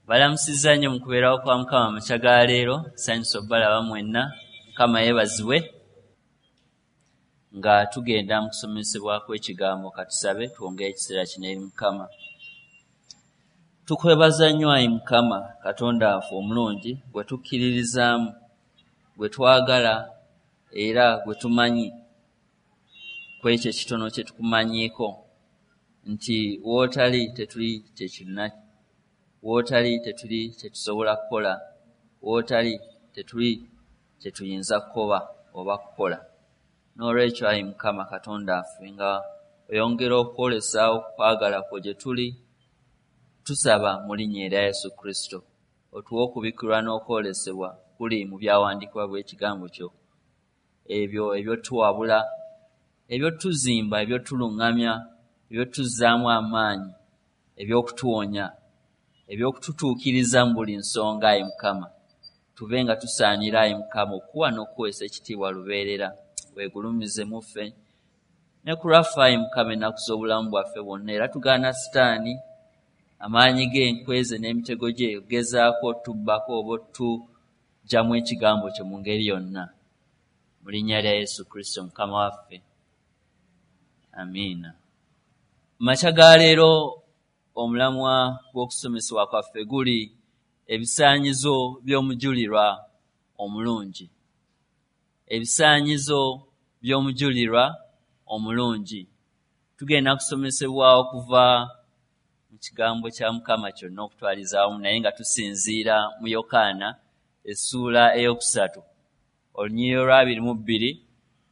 Balamusizza nnyo mu kubeerawo kwa Mukama amakya ga leero, nsanyuse obbalaba mwenna. Mukama yeebazibwe. Nga tugenda mu kusomesebwa kw'ekigambo, katusabe twongere ekiseera kino eri Mukama. Tukwebaza nnyo ayi Mukama Katonda waffe omulungi gwe tukkiririzaamu, gwe twagala era gwe tumanyi ku ekyo ekitono kye tukumanyiiko nti w'otali tetuli kye kyonna, w'otali tetuli kye tusobola kukola, w'otali tetuli kye tuyinza kukoba oba kukola. Noolwekyo ayi Mukama Katonda waffe, nga oyongera okwolesa okwagala kwo gye tuli, tusaba mu linnya erya Yesu Kristo otuwe okubikkulwa n'okwolesebwa kuli mu byawandiikibwa bw'ekigambo kyo, ebyo ebyotuwabula, ebyotuzimba, ebyotuluŋŋamya, ebyotuzzaamu amaanyi, ebyokutuwonya, ebyokututuukiriza mu buli nsonga. Ayi Mukama, tube nga tusaanira ayi Mukama okuwa n'okuweesa ekitiibwa lubeerera. Weegulumize mu ffe ne ku lwaffe ayi Mukama ennaku z'obulamu bwaffe bwonna, era tugaana Sitaani amaanyi ge, enkweze n'emitego gye okugezaako otubbako oba otuggyamu ekigambo kyo mu ngeri yonna. Mu linnya lya Yesu Kristo Mukama waffe, amiina. Makya ga leero omulamwa gw'okusomesebwa kwaffe guli ebisaanyizo by'omujulirwa omulungi. Ebisaanyizo by'omujulirwa omulungi. Tugenda kusomesebwa okuva mu kigambo kya Mukama kyonna okutwaliza awamu, naye nga tusinziira mu Yokaana essuula 3 olunyiriri olwa 22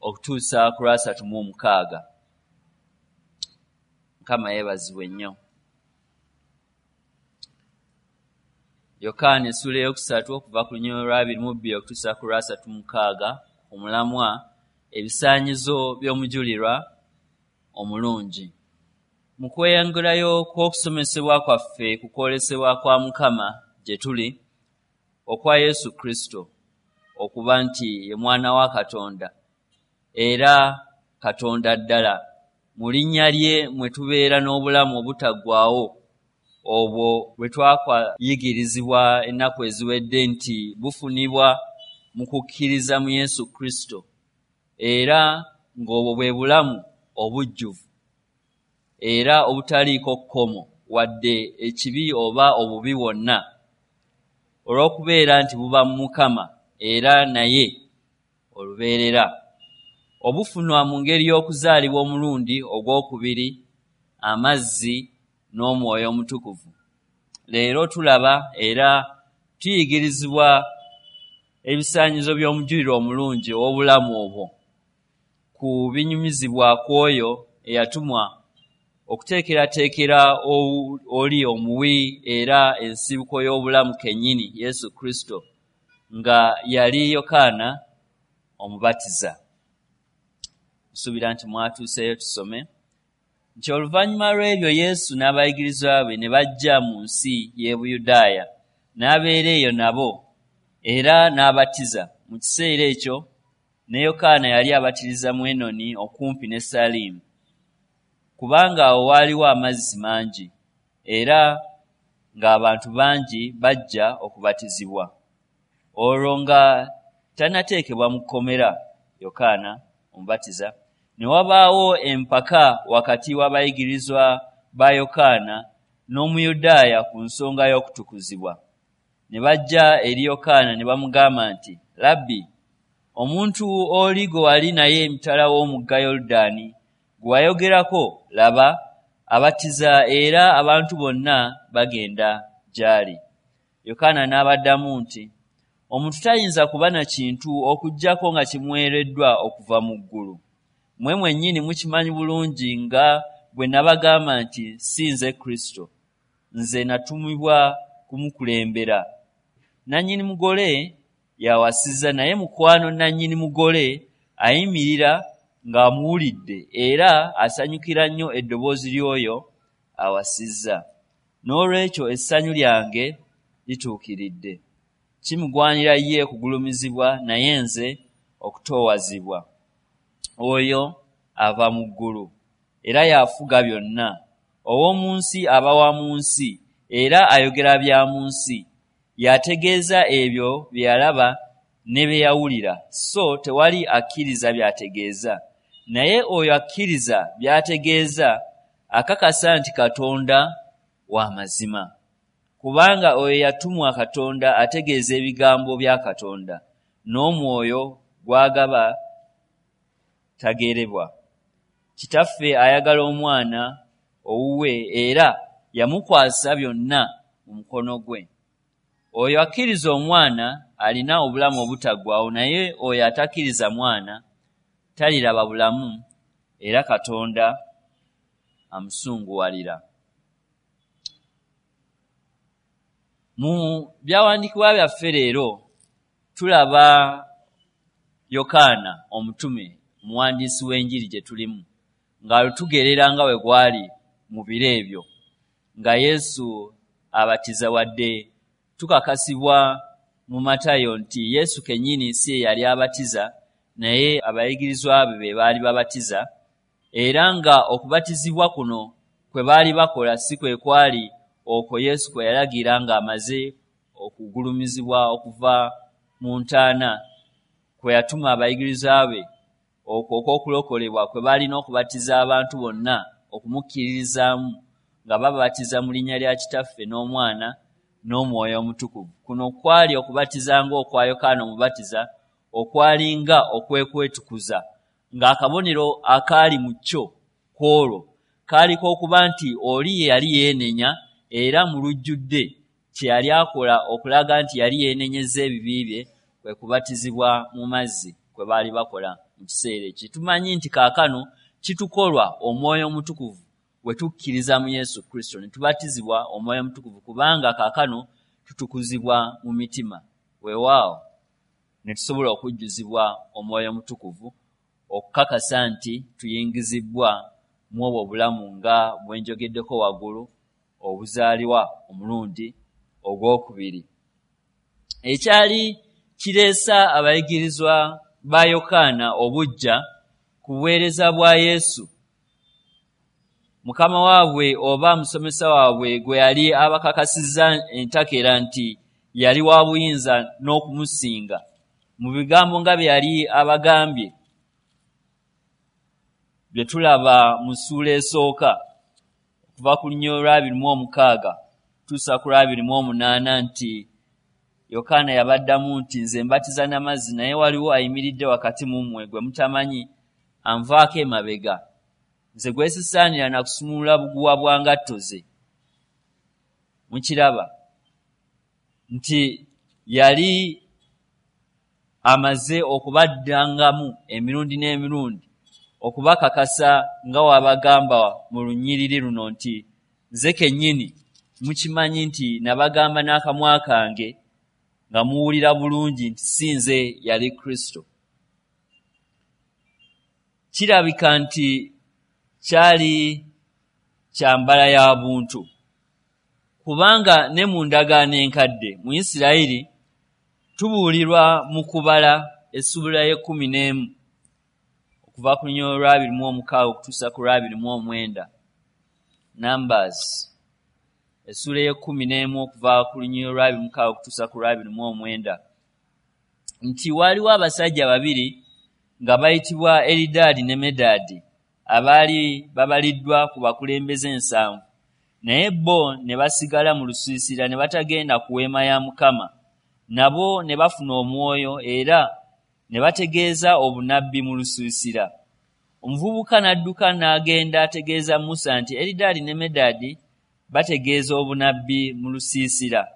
okutuusa ku lwa 36. Mukama yeebazibwe nnyo. Yokaana essuula 3 okuva ku lunyiriri olwa 22 okutuusa ku lwa 36, omulamwa ebisaanyizo by'omujulirwa omulungi. Mu kweyongerayo kw'okusomesebwa kwaffe ku kwolesebwa kwa Mukama gye tuli okwa Yesu Kristo okuba nti ye mwana wa Katonda era Katonda ddala, mu linnya lye mwe tubeera n'obulamu obutaggwaawo, obwo bwe twakayigirizibwa ennaku eziwedde nti bufunibwa mu kukkiriza mu Yesu Kristo, era ng'obwo bwe bulamu obujjuvu era obutaliiko kkomo wadde ekibi oba obubi bwonna, olw'okubeera nti buba mu Mukama era naye olubeerera, obufunwa mu ngeri y'okuzaalibwa omulundi ogwokubiri, amazzi n'Omwoyo Omutukuvu. Leero tulaba era tuyigirizibwa ebisaanyizo by'omujulirwa omulungi ow'obulamu obwo ku binyumizibwa kw'oyo eyatumwa okuteekerateekera oli omuwi era ensibuko y'obulamu kennyini, Yesu Kristo, nga yali Yokaana Omubatiza. Nsuubira nti mwatuuseeyo tusome nti oluvannyuma lw'ebyo Yesu n'abayigirizwa be ne bajja mu nsi y'e Buyudaaya, n'abeera eyo nabo era n'abatiza. Mu kiseera ekyo ne Yokaana yali abatiriza mu Enoni okumpi ne Salimu, kubanga awo waaliwo amazzi mangi, era ng'abantu bangi bajja okubatizibwa. Olwo nga tannateekebwa mu kkomera Yokaana Omubatiza, ne wabaawo empaka wakati w'abayigirizwa ba Yokaana n'Omuyudaaya ku nsonga y'okutukuzibwa. Ne bajja eri Yokaana ne bamugamba nti, Labbi, omuntu oli gwe wali naye emitala w'omugga Yoludaani gwe wayogerako, laba, abatiza era abantu bonna bagenda gy'ali. Yokaana n'abaddamu nti, omuntu tayinza kuba na kintu okuggyako nga kimuweereddwa okuva mu ggulu. Mmwe mwennyini mukimanyi bulungi nga bwe nabagamba nti si nze Kristo, nze natumibwa kumukulembera. Nannyini mugole y'awasizza, naye mukwano nannyini mugole ayimirira ng'amuwulidde era asanyukira nnyo eddoboozi ly'oyo awasizza. Noolwekyo essanyu lyange lituukiridde. Kimugwanira ye okugulumizibwa, naye nze okutoowazibwa. Oyo ava mu ggulu era y'afuga byonna. Ow'omu nsi aba wa mu nsi era ayogera bya mu nsi. Y'ategeeza ebyo bye yalaba ne bye yawulira, so tewali akkiriza by'ategeeza. Naye oyo akkiriza by'ategeeza akakasa nti Katonda wa mazima. Kubanga oyo yatumwa Katonda ategeeza ebigambo bya Katonda, n'omwoyo gw'agaba tagerebwa. Kitaffe ayagala omwana owuwe era yamukwasa byonna mu mukono gwe. Oyo akkiriza omwana alina obulamu obutaggwaawo, naye oyo atakkiriza mwana taliraba bulamu, era Katonda amusunguwalira. Mu byawandiikibwa byaffe leero tulaba Yokaana omutume, omuwandiisi w'enjiri gye tulimu, ng'alutugerera nga bwe gwali mu biro ebyo nga Yesu abatiza, wadde tukakasibwa mu Matayo nti Yesu kennyini si ye yali abatiza, naye abayigirizwa be be baali babatiza, era nga okubatizibwa kuno kwe baali bakola si kwe kwali okwo Yesu kwe yalagira ng'amaze okugulumizibwa okuva mu ntaana, kwe yatuma abayigirizwa be okwo okw'okulokolebwa kwe baalina okubatiza abantu bonna okumukkiririzaamu nga babatiza mu linnya lya Kitaffe n'Omwana n'Omwoyo Omutukuvu. Kuno kwali okubatiza ng'okwa Yokaana Omubatiza, okwalinga okwekwetukuza, ng'akabonero akaali mu kyo ku olwo kaali k'okuba nti oli ye yali yeenenya, era mu lujjudde kye yali akola okulaga nti yali yeenenyezza ebibi bye kwe kubatizibwa mu mazzi kwe baali bakola mu kiseera ekyo. Tumanyi nti kaakano kitukolwa Omwoyo Omutukuvu bwe tukkiriza mu Yesu Kristo ne tubatizibwa Omwoyo Omutukuvu, kubanga kaakano tutukuzibwa mu mitima, weewaawo ne tusobola okujjuzibwa Omwoyo Omutukuvu okukakasa nti tuyingizibbwa mu obwo obulamu nga bwe njogeddeko waggulu, obuzaalibwa omulundi ogwokubiri. Ekyali kireesa abayigirizwa ba Yokaana obuggya ku buweereza bwa Yesu, Mukama waabwe oba musomesa waabwe gwe yali abakakasizza entakera nti yali wa buyinza n'okumusinga mu bigambo nga bye yali abagambye bye tulaba mu ssuula esooka okuva ku lunyiriri olw'abiri mu 6 tuusa ku lw'abiri mu 8, nti Yokaana yabaddamu nti, "Nze mbatiza n'amazzi, naye waliwo ayimiridde wakati mu mmwe gwe mutamanyi, anvaako emabega, nze gwe sisaanira na kusumulula buguwa bwa ngatto ze." Mukiraba nti yali amaze okubaddangamu emirundi n'emirundi okubakakasa nga wabagamba mu lunyiriri luno nti, "Nze kennyini mukimanyi nti nabagamba n'akamwa kange nga muwulira bulungi nti si nze yali Kristo." Kirabika nti kyali kyambala ya buntu, kubanga ne mu ndagaano enkadde mu Isirayiri tubuulirwa mu Kubala essuula y'e-11 okuva ku lunyiriri olw'abiri mu 6 okutuusa ku lw'abiri mu 9, Numbers essuula y'e-11 okuva ku lunyiriri olw'abiri mu 6 okutuusa ku lw'abiri mu 9, nti waaliwo abasajja babiri nga bayitibwa Eridaadi ne Medaadi, abaali babaliddwa ku bakulembeze 70, naye bo ne basigala mu lusiisira ne batagenda ku weema ya Mukama. Nabo ne bafuna omwoyo era ne bategeeza obunnabbi mu lusiisira. Omuvubuka n'adduka n'agenda ategeeza Musa nti, "Eridaadi ne Medaadi bategeeza obunnabbi mu lusiisira."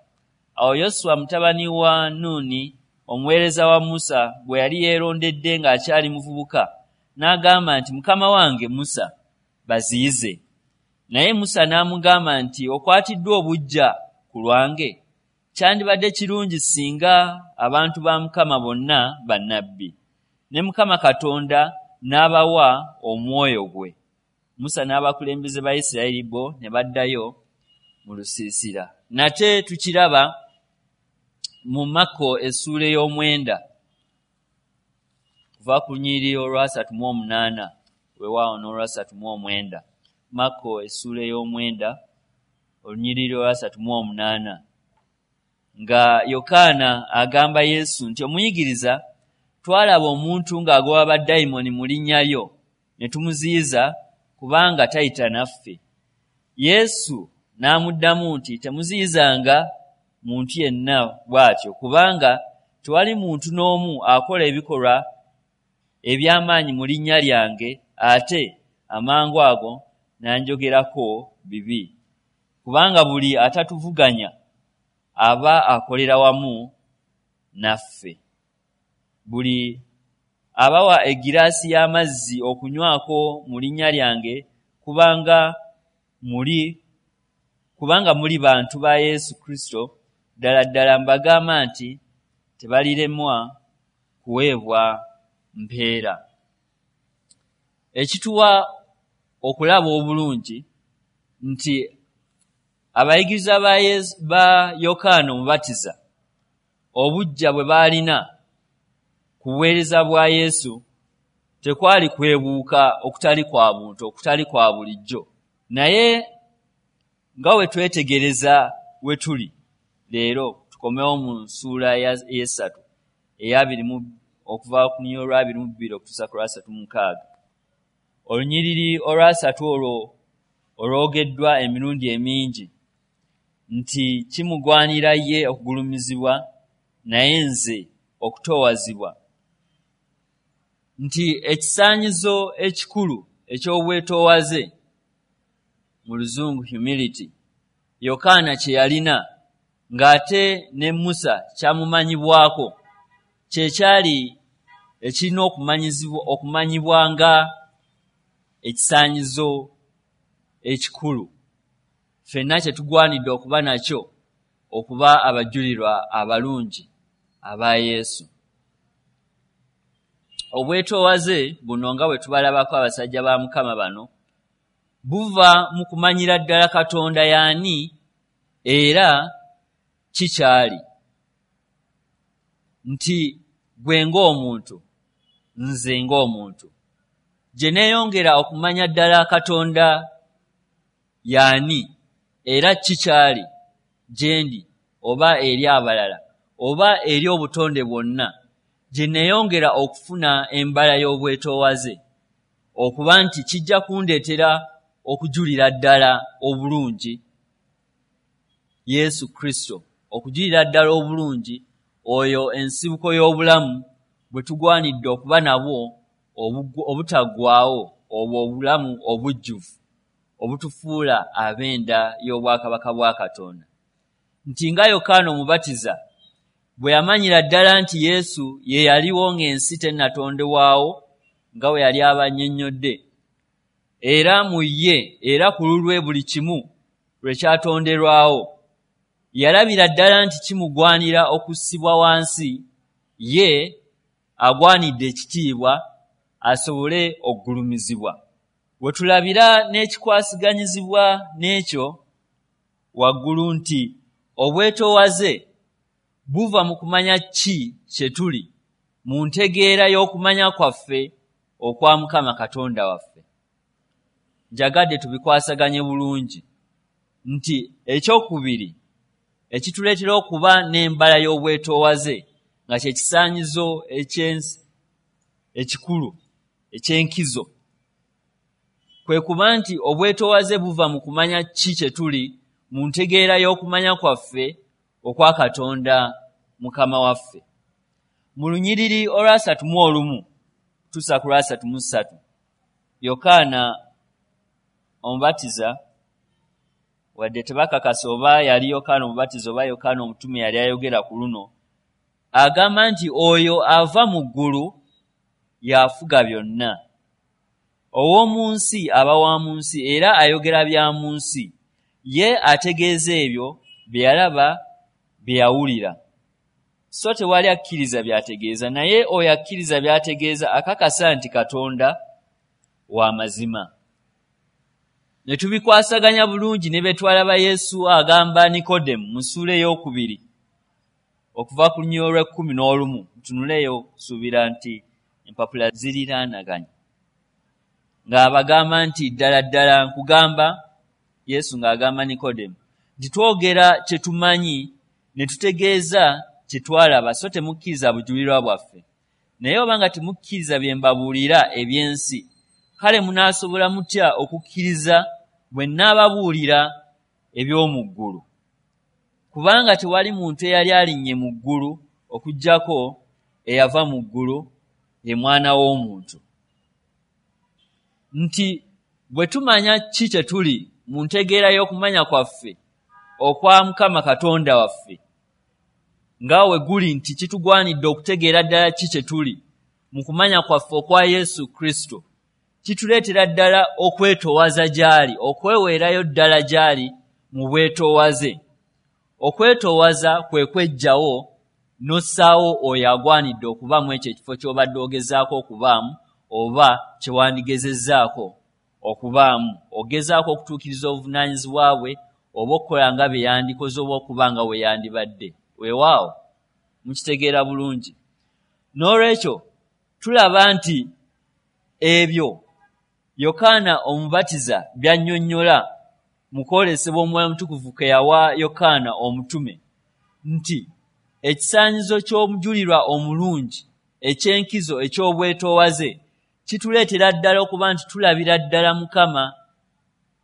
Awo Yoswa mutabani wa Nuuni, omuweereza wa Musa gwe yali yeerondedde ng'akyali muvubuka, n'agamba nti, "Mukama wange Musa, baziyize." Naye Musa n'amugamba nti, "Okwatiddwa obuggya ku lwange? Kyandibadde kirungi singa abantu ba Mukama bonna bannabbi, ne Mukama Katonda n'abawa omwoyo gwe." Musa n'abakulembeze ba Isirayiri bo ne baddayo mu lusiisira. Nate tukiraba mu Makko essuula ey'omwenda kuva ku lunyiriri olw'asatu mu 8, weewaawo n'olw'asatu mu 9. Makko essuula ey'omwenda olunyiriri olwa 38, nga Yokaana agamba Yesu nti, "Omuyigiriza, twalaba omuntu ng'agoba badayimooni mu linnya lyo, ne tumuziyiza, kubanga tayita naffe." Yesu n'amuddamu nti, "Temuziyizanga muntu yenna bw'atyo, kubanga tewali muntu n'omu akola ebikolwa eby'amaanyi mu linnya lyange ate amangu ago n'anjogerako bibi. Kubanga buli atatuvuganya aba akolera wamu naffe. Buli abawa egiraasi y'amazzi okunywako mu linnya lyange, kubanga muli bantu ba Yesu Kristo, ddala ddala mbagamba nti tebaliremwa kuweebwa mpeera." Ekituwa okulaba obulungi nti abayigiriza ba Yokaana Omubatiza, obujja bwe baalina ku buweereza bwa Yesu tekwali kwebuuka okutali kwa buntu, okutali kwa bulijjo. Naye nga we twetegereza we tuli leero, tukomewo mu nsuula eyesatu eyabiri, okuva ku lunyiriri olwa 22 okutuusa ku lwa 36. Olunyiriri olwasatu olwo olwogeddwa emirundi emingi nti, "Kimugwanira ye okugulumizibwa, naye nze okutoowazibwa," nti ekisaanyizo ekikulu eky'obwetoowaze, mu Luzungu humility, Yokaana kye yalina, ng'ate ne Musa kyamumanyibwako, kyekyali ekirina okumanyibwa nga ekisaanyizo ekikulu ffenna kye tugwanidde okuba nakyo okuba abajulirwa abalungi aba Yesu. Obwetoowaze buno, nga bwe tubalabako abasajja ba Mukama bano, buva mu kumanyira ddala Katonda y'ani era kikyali, nti gwe ng'omuntu, nze ng'omuntu, gye neeyongera okumanya ddala Katonda y'ani era kikyali gye ndi oba eri abalala oba eri obutonde bwonna, gye neeyongera okufuna embala y'obwetoowaze, okuba nti kijja kundeetera okujulira ddala obulungi Yesu Kristo, okujulira ddala obulungi oyo ensibuko y'obulamu bwe tugwanidde okuba nabwo obutaggwaawo, obwo obulamu obujjuvu obutufuula ab'enda y'obwakabaka bwa Katonda. Nti nga Yokaana Omubatiza bwe yamanyira ddala nti Yesu ye yaliwo ng'ensi tennatondebwawo, nga bwe yali abannyonnyodde, era mu ye era ku lulwe buli kimu lwe kyatonderwawo, yalabira ddala nti kimugwanira okussibwa wansi, ye agwanidde ekitiibwa asobole okugulumizibwa. We tulabira n'ekikwasiganyizibwa n'ekyo waggulu nti obwetoowaze buva mu kumanya ki kye tuli mu ntegeera y'okumanya kwaffe okwa Mukama Katonda waffe. Njagadde tubikwasaganye bulungi nti ekyokubiri ekituleetera okuba n'embala y'obwetoowaze, nga kye kisaanyizo ekikulu eky'enkizo, kwe kuba nti obwetoowaze buva mu kumanya ki kye tuli mu ntegeera y'okumanya kwaffe okwa Katonda Mukama waffe. Mu lunyiriri olwa 31 tusa ku lwa 33, Yokaana Omubatiza, wadde tebakakasa oba yali Yokaana Omubatiza oba Yokaana omutume yali ayogera ku luno, agamba nti, "Oyo ava mu ggulu y'afuga byonna. Ow'omu nsi aba wa mu nsi era ayogera bya mu nsi. Ye ategeeza ebyo bye yalaba, bye yawulira. So tewali akkiriza by'ategeeza, naye oyo akkiriza by'ategeeza akakasa nti Katonda wa mazima." Ne tubikwasaganya bulungi ne betwalaba Yesu agamba Nikodemu mu ssuula ey'okubiri okuva ku lunyiriri olw'e 11. Tunuleeyo, suubira nti empapula ziriraanaganye, ng'abagamba nti, "Ddala ddala nkugamba," Yesu ng'agamba Nikodemu, Nti twogera kye tumanyi ne tutegeeza kye twalaba, so temukkiriza bujulirwa bwaffe. Naye obanga temukkiriza bye mbabuulira eby'ensi, kale munaasobola mutya okukkiriza bwe nnaababuulira eby'omu ggulu? Kubanga tewali muntu eyali alinnye mu ggulu okuggyako eyava mu ggulu, ye Mwana w'omuntu. Nti bwe tumanya ki kye tuli mu ntegeera y'okumanya kwaffe okwa Mukama Katonda waffe, nga we guli nti kitugwanidde okutegeera ddala ki kye tuli mu kumanya kwaffe okwa Yesu Kristo, kituleetera ddala okwetoowaza gy'ali, okweweerayo ddala gy'ali mu bwetoowaze. Okwetoowaza kwe kweggyawo n'ossaawo oyo agwanidde okuba mu ekyo ekifo ky'obadde ogezaako okubaamu oba kye wandigezezzaako okubaamu, ogezaako okutuukiriza obuvunaanyizibwa bwe oba okukola nga bye yandikoze oba okuba nga we yandibadde. Weewaawo, mukitegeera bulungi. N'olwekyo tulaba nti ebyo Yokaana Omubatiza by'annyonnyola mu kwolesebwa Omwoyo Omutukuvu ke yawa Yokaana omutume nti ekisaanyizo ky'omujulirwa omulungi eky'enkizo eky'obwetoowaze kituleetera ddala okuba nti tulabira ddala Mukama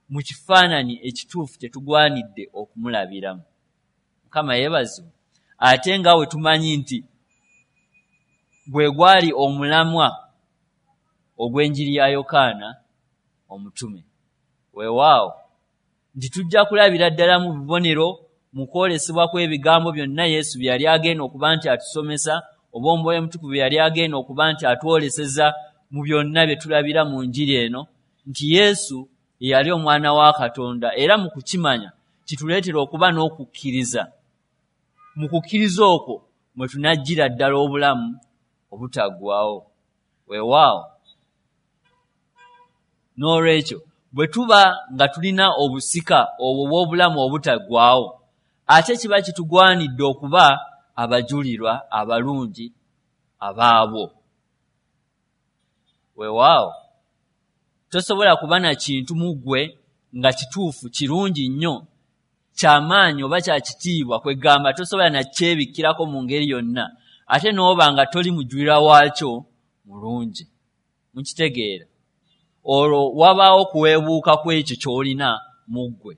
mu kifaananyi ekituufu kye tugwanidde okumulabiramu. Mukama yeebazibwe. Ate nga we tumanyi nti gwe gwali omulamwa ogw'enjiri ya Yokaana omutume. Weewaawo nti tujja kulabira ddala mu bubonero mu kwolesebwa kw'ebigambo byonna Yesu bye yali agenda okuba nti atusomesa oba Omwoyo Omutukuvu bye yali agenda okuba nti atwoleseza mu byonna bye tulabira mu njiri eno nti Yesu ye yali Omwana wa Katonda, era mu kukimanya kituleetera okuba n'okukkiriza. Mu kukkiriza okwo mwe tunajjira ddala obulamu obutaggwaawo. Weewaawo. N'olwekyo bwe tuba nga tulina obusika obwo obw'obulamu obutaggwaawo, ate kiba kitugwanidde okuba abajulirwa abalungi abaabwo. Weewaawo, tosobola kuba na kintu mu ggwe nga kituufu, kirungi nnyo, kya maanyi oba kya kitiibwa, kwegamba tosobola na kyebikkirako mu ngeri yonna, ate n'oba nga toli mujulirwa waakyo mulungi. Mukitegeera? Olwo wabaawo okuweebuuka kw'ekyo ky'olina mu ggwe.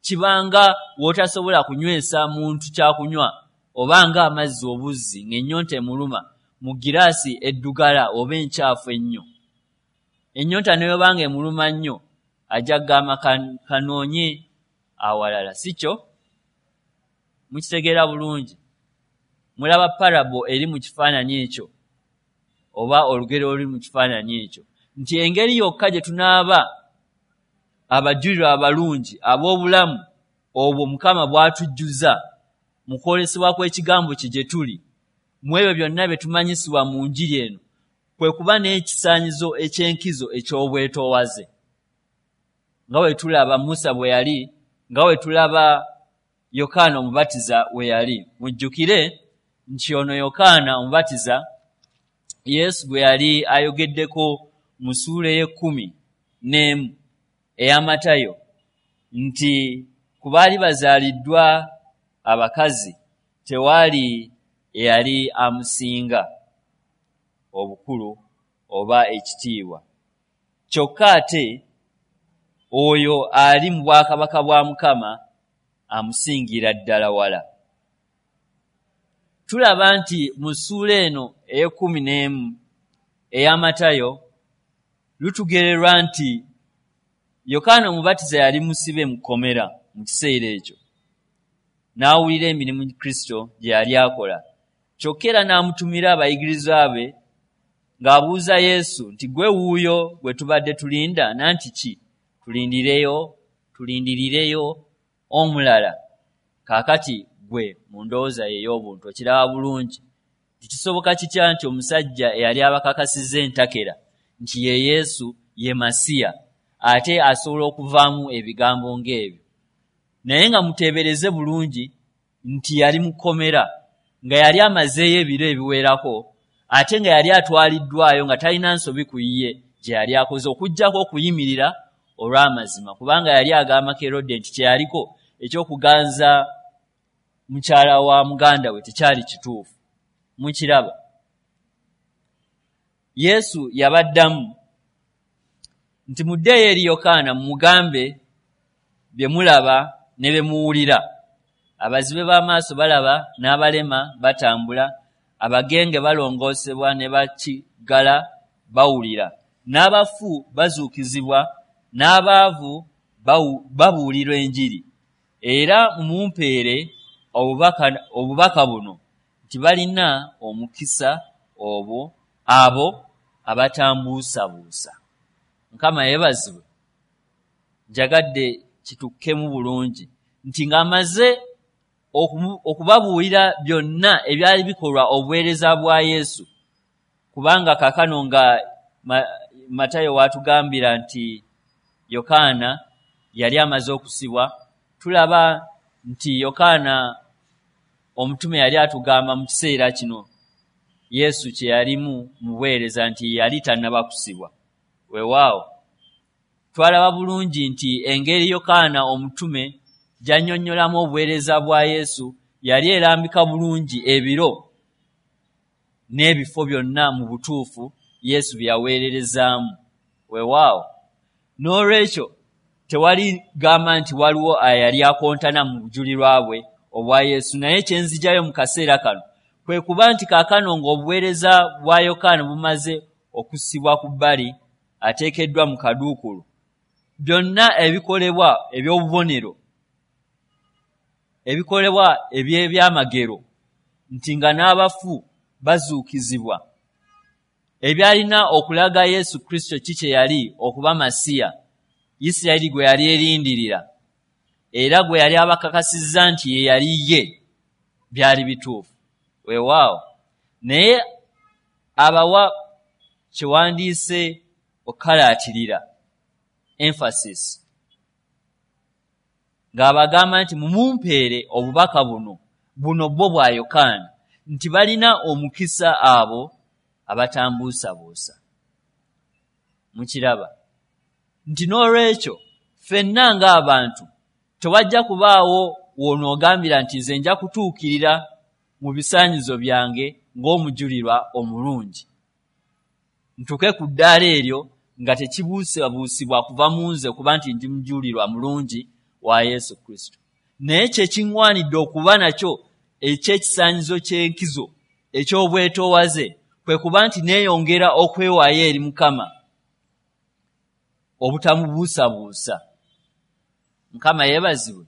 Kiba nga w'otasobola kunywesa muntu kyakunywa oba nga amazzi obuzzi ng'ennyonta emuluma mu giraasi eddugala oba enkyafu ennyo. Ennyonta ne bw'eba ng'emuluma nnyo, ajja kugamba kanoonye awalala, si kyo? Mukitegeera bulungi? Mulaba parable eri mu kifaananyi ekyo oba olugero oluli mu kifaananyi ekyo nti engeri yokka gye tunaaba abajulirwa abalungi ab'obulamu obwo Mukama bw'atujjuza mu kwolesebwa kw'ekigambo kye gye tuli mu ebyo byonna bye tumanyisibwa mu njiri eno kwe kuba n'ekisaanyizo eky'enkizo eky'obwetoowaze, nga bwe tulaba Musa bwe yali, nga bwe tulaba Yokaana Omubatiza we yali. Mujjukire nti ono Yokaana Omubatiza Yesu gwe yali ayogeddeko mu ssuula ey'ekkumi n'emu eya Matayo nti ku baali bazaaliddwa abakazi tewaali eyali amusinga obukulu oba ekitiibwa. Kyokka ate oyo ali mu bwakabaka bwa Mukama amusingira ddala wala. Tulaba nti mu ssuula eno ey'ekkumi n'emu eya Matayo lutugererwa nti Yokaana Omubatiza yali musibe mu kkomera mu kiseera ekyo, n'awulira emirimu Kristo gye yali akola. Kyokka era n'amutumira abayigirizwa be ng'abuuza Yesu nti, Ggwe wuuyo gwe tubadde tulinda, nanti ki tulindireyo, tulindirireyo omulala? Kaakati ggwe mu ndowooza yo ey'obuntu okiraba bulungi nti kisoboka kitya nti omusajja eyali abakakasizza entakera nti ye Yesu, ye Masiya, ate asobola okuvaamu ebigambo ng'ebyo? Naye nga muteebereze bulungi nti yali mu kkomera, nga yali amazeeyo ebiro ebiwerako, ate nga yali atwaliddwayo nga talina nsobi ku ye gye yali akoze okuggyako okuyimirira olw'amazima, kubanga yali agamba Kerode nti kye yaliko ekyokuganza mukyala wa muganda we tekyali kituufu. Mukiraba? Yesu yabaddamu nti, muddeeyo eri Yokaana mumugambe bye mulaba ne bye muwulira. Abazibe b'amaaso balaba, n'abalema batambula, abagenge balongoosebwa, ne bakiggala bawulira, n'abafu bazuukizibwa, n'abaavu babuulirwa enjiri. Era mumumpeere obubaka buno nti balina omukisa abo abatambuusabuusa. Mukama yeebazibwe. Njagadde kitukkemu bulungi nti ng'amaze okubabuulira byonna ebyali bikolwa obuweereza bwa Yesu, kubanga kaakano nga Matayo waatugambira nti Yokaana yali amaze okusibwa, tulaba nti Yokaana omutume yali atugamba mu kiseera kino Yesu kye yalimu mu buweereza nti yali tannaba kusibwa. Weewaawo twalaba bulungi nti engeri Yokaana omutume gy'annyonnyolamu obuweereza bwa Yesu yali erambika bulungi ebiro n'ebifo byonna mu butuufu Yesu bye yaweererezaamu. Weewaawo n'olwekyo tewali gamba nti waliwo ayali akontana mu bujulirwa bwe obwa Yesu. Naye kye nzijayo mu kaseera kano kwe kuba nti kaakano ng'obuweereza bwa Yokaana bumaze okussibwa ku bbali, ateekeddwa mu kaduukulu, byonna ebikolebwa eby'obubonero, ebikolebwa eby'ebyamagero, nti nga n'abafu bazuukizibwa, ebyalina okulaga Yesu Kristo ki kye yali okuba Masiya Isirayiri gwe yali erindirira era gwe yali abakakasizza nti ye yali ye, byali bituufu. Weewaawo naye abawa kyewandiise okukalaatirira, emphasis, ng'abagamba nti mumumpeere obubaka buno bwo bwa Yokaana, nti balina omukisa abo abatambuusabuusa. Mukiraba nti n'olwekyo ffenna ng'abantu tewajja kubaawo w'onoogambira nti nze nja kutuukirira mu bisaanyizo byange ng'omujulirwa omulungi, ntuuke ku ddaala eryo nga tekibuusabuusibwa kuva mu nze kuba nti ndi mujulirwa mulungi wa Yesu Kristo. Naye kye kiŋŋwanidde okuba nakyo eky'ekisaanyizo ky'enkizo eky'obwetoowaze kwe kuba nti neeyongera okwewaayo eri Mukama obutamubuusabuusa. Mukama yeebazibwe.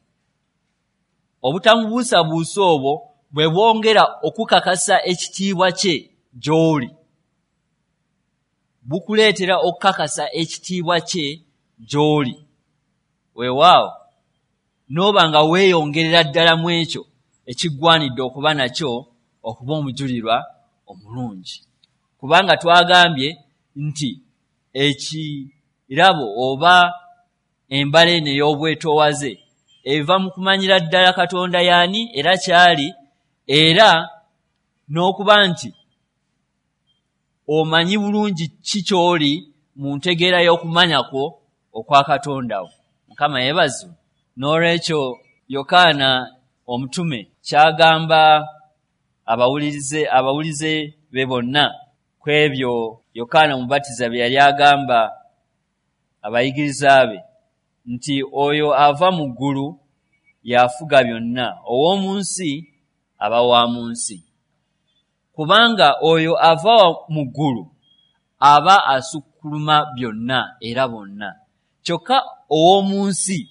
Obutamubuusabuusa obwo bwe bwongera okukakasa ekitiibwa kye gy'oli, bukuleetera okukakasa ekitiibwa kye gy'oli. Weewaawo n'oba nga weeyongerera ddala mu ekyo ekiggwanidde okuba nakyo okuba omujulirwa omulungi, kubanga twagambye nti ekirabo oba embala eno ey'obwetoowaze eva mu kumanyira ddala Katonda y'ani era ky'ali, era n'okuba nti omanyi bulungi ki ky'oli mu ntegeera y'okumanya kwo okwa Katonda wo. Mukama yeebazibwe. N'olwekyo Yokaana omutume ky'agamba abawulize be bonna ku ebyo Yokaana Omubatiza bye yali agamba abayigiriza be nti oyo ava mu ggulu y'afuga byonna, ow'omu nsi aba wa mu nsi. Kubanga oyo ava mu ggulu aba asukkuluma byonna era bonna, kyokka ow'omu nsi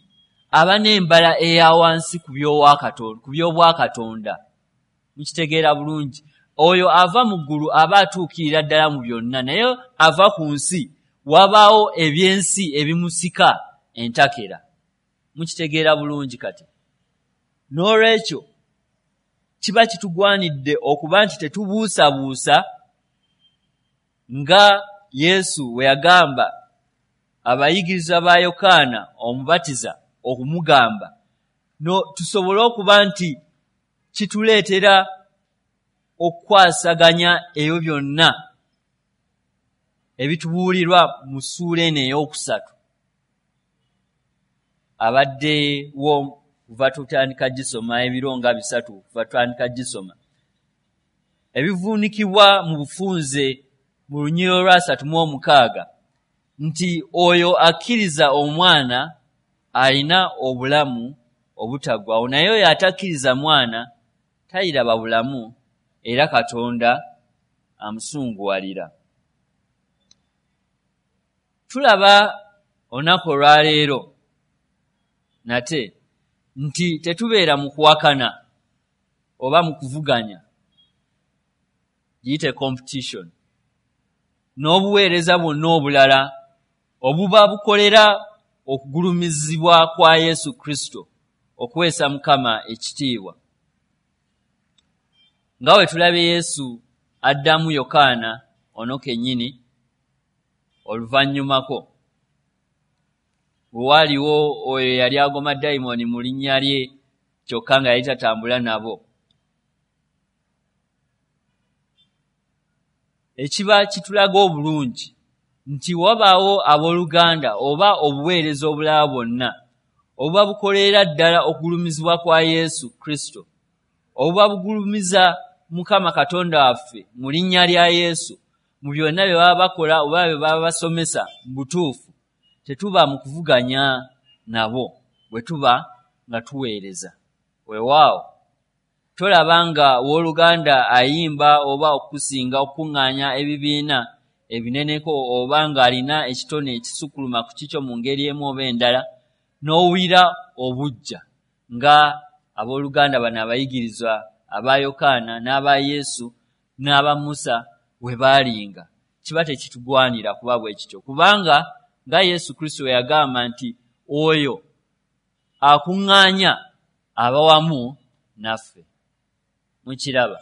aba n'embala eya wansi ku by'obwakatonda. Mukitegeera bulungi. Oyo ava mu ggulu aba atuukirira ddala mu byonna, naye ava ku nsi wabaawo ebyensi ebimusika entakera. Mukitegeera bulungi kati. N'olwekyo kiba kitugwanidde okuba nti tetubuusabuusa nga Yesu bwe yagamba abayigirizwa ba Yokaana Omubatiza okumugamba, tusobole okuba nti kituleetera okukwasaganya ebyo byonna ebitubuulirwa mu ssuula eno ey'okusatu abaddewo Kuva tutandika gisoma ebiro nga 3 kuva tutandika gisoma, ebivuunikibwa mu bufunze mu lunyiriri lwa 36 nti oyo akkiriza omwana alina obulamu obutaggwaawo, naye oyo atakkiriza mwana taliraba bulamu, era Katonda amusunguwalira. Tulaba olunaku olwaleero nate nti tetubeera mu kuwakana oba mu kuvuganya, giyite competition, n'obuweereza bwonna obulala obuba bukolera okugulumizibwa kwa Yesu Kristo, okuweesa Mukama ekitiibwa. Nga bwe tulabye Yesu addamu Yokaana ono kennyini oluvannyumako, bwe waaliwo oyo yali agoma dayimooni mu linnya lye kyokka nga yali tatambula nabo. Ekiba kitulaga obulungi nti wabaawo abooluganda oba obuweereza obulala bwonna obuba bukolera ddala okugulumizibwa kwa Yesu Kristo, obuba bugulumiza Mukama Katonda waffe mu linnya lya Yesu mu byonna bye baba bakola oba bye baba basomesa mu butuufu. Tetuba mu kuvuganya nabo bwe tuba nga tuweereza. Weewaawo tolaba nga wooluganda ayimba oba okusinga okukuŋŋaanya ebibiina ebineneko oba ng'alina ekitone ekisukkuluma ku kikyo mu ngeri emu oba endala, n'owulira obuggya nga abooluganda bano abayigirizwa aba Yokaana n'aba Yesu n'aba Musa we baalinga. Kiba tekitugwanira kuba bwe kityo, kubanga nga Yesu Kristo bwe yagamba nti oyo akuŋŋaanya aba wamu naffe. Mukiraba.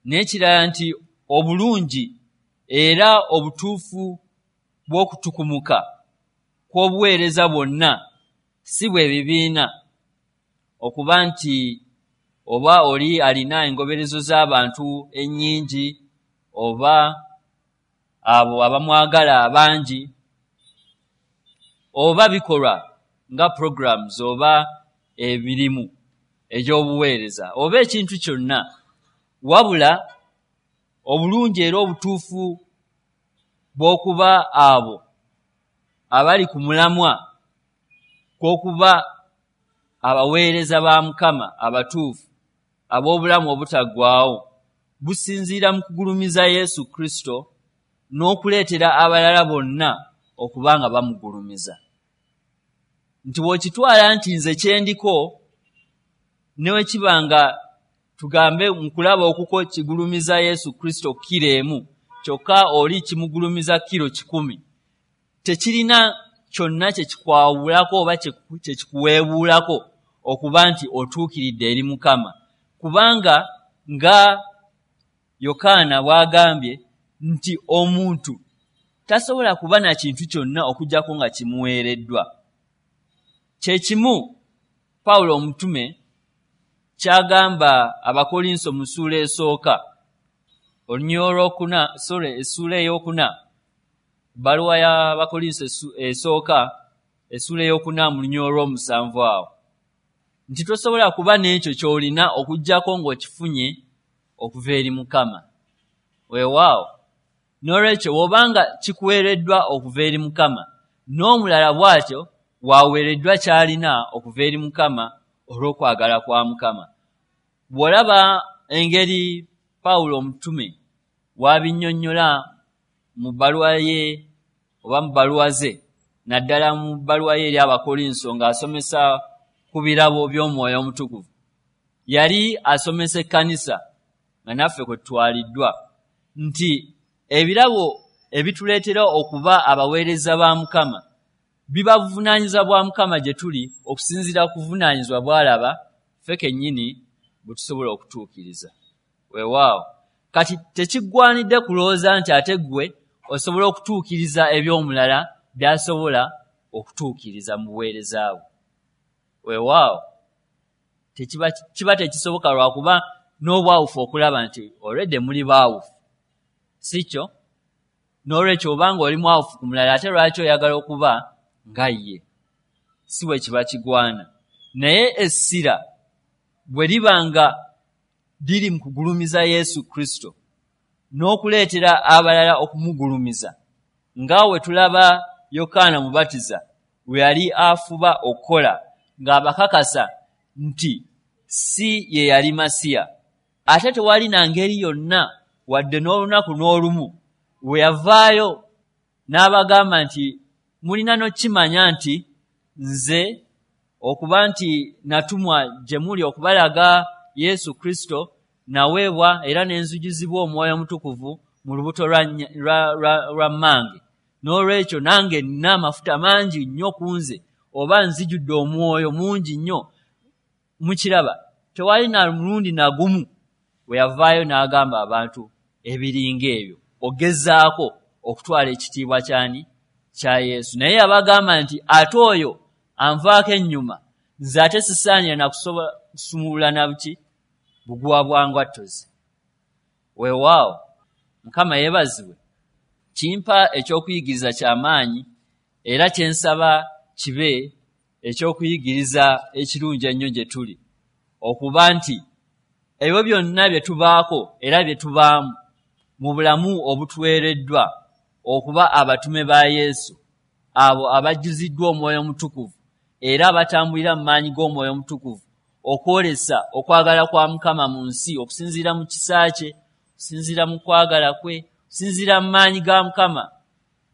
N'ekirala nti obulungi era obutuufu bw'okutukumuka kw'obuweereza bwonna si bwe bibiina, okuba nti oba oli alina engoberezo z'abantu ennyingi oba abo abamwagala abangi, oba bikolwa nga programs oba emirimu egy'obuweereza oba ekintu kyonna, wabula obulungi era obutuufu bw'okuba abo abali ku mulamwa kw'okuba abaweereza ba Mukama abatuufu ab'obulamu obutaggwaawo businziira mu kugulumiza Yesu Kristo n'okuleetera abalala bonna okuba nga bamugulumiza. Nti bw'okitwala nti nze kyendiko ne bwe kiba nga tugambe mu kulaba okuko kigulumiza Yesu Kristo kiro 1, kyokka oli kimugulumiza kiro 100, tekirina kyonna kye kikwawulako oba kye kikuweebuulako okuba nti otuukiridde eri Mukama. Kubanga nga Yokaana bw'agambye nti omuntu tasobola kuba na kintu kyonna okuggyako nga kimuweereddwa. Kye kimu Pawulo omutume ky'agamba Abakolinso mu ssuula esooka, olunyiriri olwokuna, sorry, essuula ey'okuna, ebbaluwa y'Abakolinso esooka, essuula ey'okuna mu lunyiriri olw'omusanvu awo, nti tosobola kuba n'ekyo ky'olina okuggyako ng'okifunye okuva eri Mukama. Weewaawo, n'olwekyo bw'obanga kikuweereddwa okuva eri Mukama, n'omulala bw'atyo bw'aweereddwa ky'alina okuva eri Mukama olw'okwagala kwa Mukama. Bw'olaba engeri Pawulo omutume w'abinnyonnyola mu bbaluwa ye oba mu bbaluwa ze, naddala mu bbaluwa ye eri Abakolinso ng'asomesa ku birabo by'Omwoyo Omutukuvu, yali asomesa ekkanisa nga naffe kwe tutwaliddwa nti ebirabo ebituleetera okuba abaweereza ba Mukama biba buvunaanyizibwa bwa Mukama gye tuli okusinziira ku buvunaanyizibwa bw'alaba ffe kennyini bwe tusobola okutuukiriza. Weewaawo, kati tekiggwanidde kulowooza nti ate ggwe osobola okutuukiriza eby'omulala by'asobola okutuukiriza mu buweereza bwe. Weewaawo, kiba tekisoboka lwakuba n'obwawufu okulaba nti olwedde muli baawufu, si kyo? N'olwekyo obanga oli mwawufu ku mulala, ate lwaki oyagala okuba nga ye? Si bwe kiba kigwana. Naye essira bwe liba nga liri mu kugulumiza Yesu Kristo n'okuleetera abalala okumugulumiza, nga we tulaba Yokaana Mubatiza bwe yali afuba okukola ng'abakakasa nti si ye yali Masiya. Ate tewali na ngeri yonna wadde n'olunaku n'olumu we yavaayo n'abagamba nti mulina n'okukimanya nti nze okuba nti natumwa gye muli okubalaga Yesu Kristo, naweebwa era ne nzijuzibwa Omwoyo Omutukuvu mu lubuto lwa mmange. N'olwekyo nange nnina amafuta mangi nnyo ku nze, oba nzijudde omwoyo mungi nnyo. Mukiraba, tewali na mulundi na gumu we yavaayo n'agamba abantu ebiringa ebyo, ogezaako okutwala ekitiibwa kyani? Kya Yesu. Naye yabagamba nti ate oyo anvaako ennyuma, nze ate sisaanira na kusobola kusumulula na buki buguwa bwa ngatto ze. Weewaawo, Mukama yeebazibwe. Kimpa eky'okuyigiriza ky'amaanyi, era kye nsaba kibe eky'okuyigiriza ekirungi ennyo gye tuli, okuba nti ebyo byonna bye tubaako era bye tubaamu mu bulamu obutuweereddwa okuba abatume ba Yesu, abo abajjuziddwa Omwoyo Omutukuvu era abatambulira mu maanyi g'Omwoyo Omutukuvu okwolesa okwagala kwa Mukama mu nsi okusinziira mu kisa kye, okusinziira mu kwagala kwe, okusinziira mu maanyi ga Mukama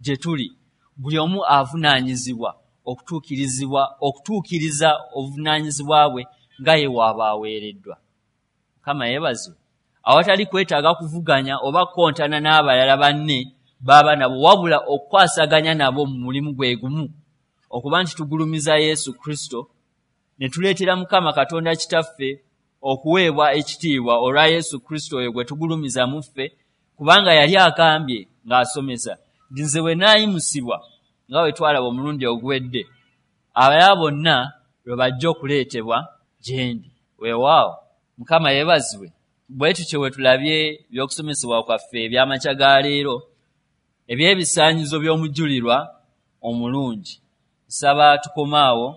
gye tuli. Buli omu avunaanyizibwa okutuukirizibwa okutuukiriza obuvunaanyizibwa bwe nga ye waaba aweereddwa. Mukama yeebazibwe. Awatali kwetaaga kuvuganya oba kukontana n'abalala banne baba nabo, wabula okukwasaganya nabo mu mulimu gwe gumu, okuba nti tugulumiza Yesu Kristo ne tuleetera Mukama Katonda Kitaffe okuweebwa ekitiibwa olwa Yesu Kristo oyo gwe tugulumiza mu ffe, kubanga yali agambye ng'asomesa nti nze bwe naayimusibwa, nga bwe twalaba omulundi oguwedde, abalala bonna lwe bajja okuleetebwa gye ndi. Weewaawo, Mukama yeebazibwe. Bwe tutyo bwe tulabye eby'okusomesebwa kwaffe eby'amakya ga leero eby'ebisaanyizo by'omujulirwa omulungi. Nsaba tukome awo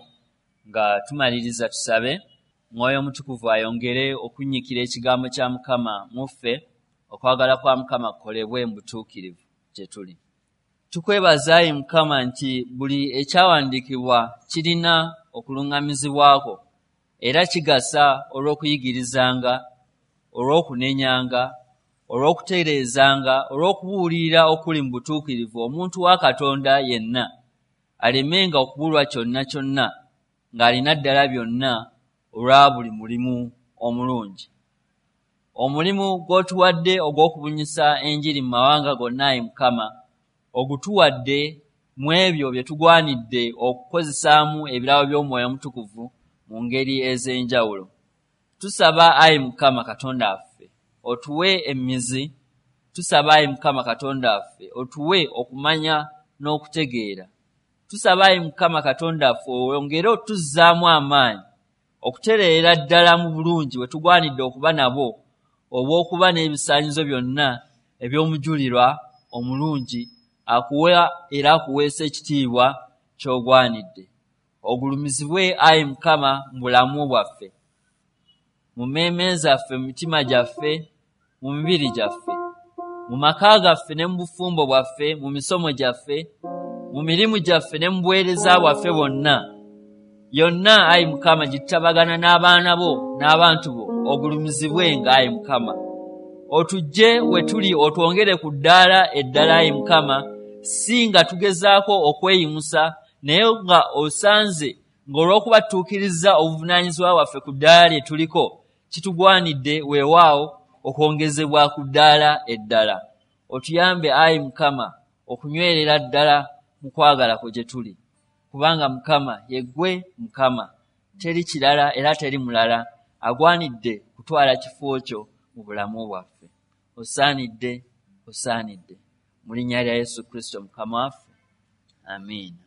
nga tumaliriza tusabe Mwoyo Omutukuvu ayongere okunnyikira ekigambo kya Mukama mu ffe, okwagala kwa Mukama kukolebwe mu butuukirivu gye tuli. Tukwebaza ayi Mukama nti buli ekyawandiikibwa kirina okuluŋŋamizibwa kwo era kigasa olw'okuyigirizanga, olw'okunenyanga, olw'okutereezanga, olw'okubuulirira okuli mu butuukirivu omuntu wa Katonda yenna alemenga okubulwa kyonna kyonna ng'alina ddala byonna olwa buli mulimu omulungi. Omulimu gw'otuwadde ogw'okubunyisa enjiri mu mawanga gonna ayi Mukama, ogutuwadde mu ebyo bye tugwanidde okukozesaamu ebirabo by'Omwoyo Omutukuvu mu ngeri ez'enjawulo. Tusaba ayi Mukama Katonda waffe otuwe emmizi, tusaba ayi Mukama Katonda waffe otuwe okumanya n'okutegeera. Tusaba ayi Mukama Katonda waffe oyongere otuzzaamu amaanyi okutereera ddala mu bulungi bwe tugwanidde okuba nabo obw'okuba n'ebisaanyizo byonna eby'omujulirwa omulungi akuwa era akuweesa ekitiibwa ky'ogwanidde. Ogulumizibwe ayi Mukama mu bulamu bwaffe, mu mmeeme zaffe, mu mitima gyaffe, mu mibiri gyaffe, mu maka gaffe ne mu bufumbo bwaffe, mu misomo gyaffe, mu mirimu gyaffe ne mu buweereza bwaffe bwonna. Yonna ayi Mukama gye tutabagana n'abaana bo n'abantu bo, ogulumizibwenga ayi Mukama. Otuggye we tuli otwongere ku ddaala eddala ayi Mukama, si nga tugezaako okweyimusa, naye nga osanze ng'olw'okuba tutuukirizza obuvunaanyizibwa bwaffe ku ddaala lye tuliko, kitugwanidde weewaawo okwongezebwa ku ddaala eddala. Otuyambe ayi Mukama okunywerera ddala mu kwagala kwo gye tuli, kubanga Mukama ye ggwe Mukama, teri kirala era teri mulala agwanidde kutwala kifo kyo mu bulamu bwaffe. Osaanidde, osaanidde. Mu linnya lya Yesu Kristo Mukama waffe, amiina.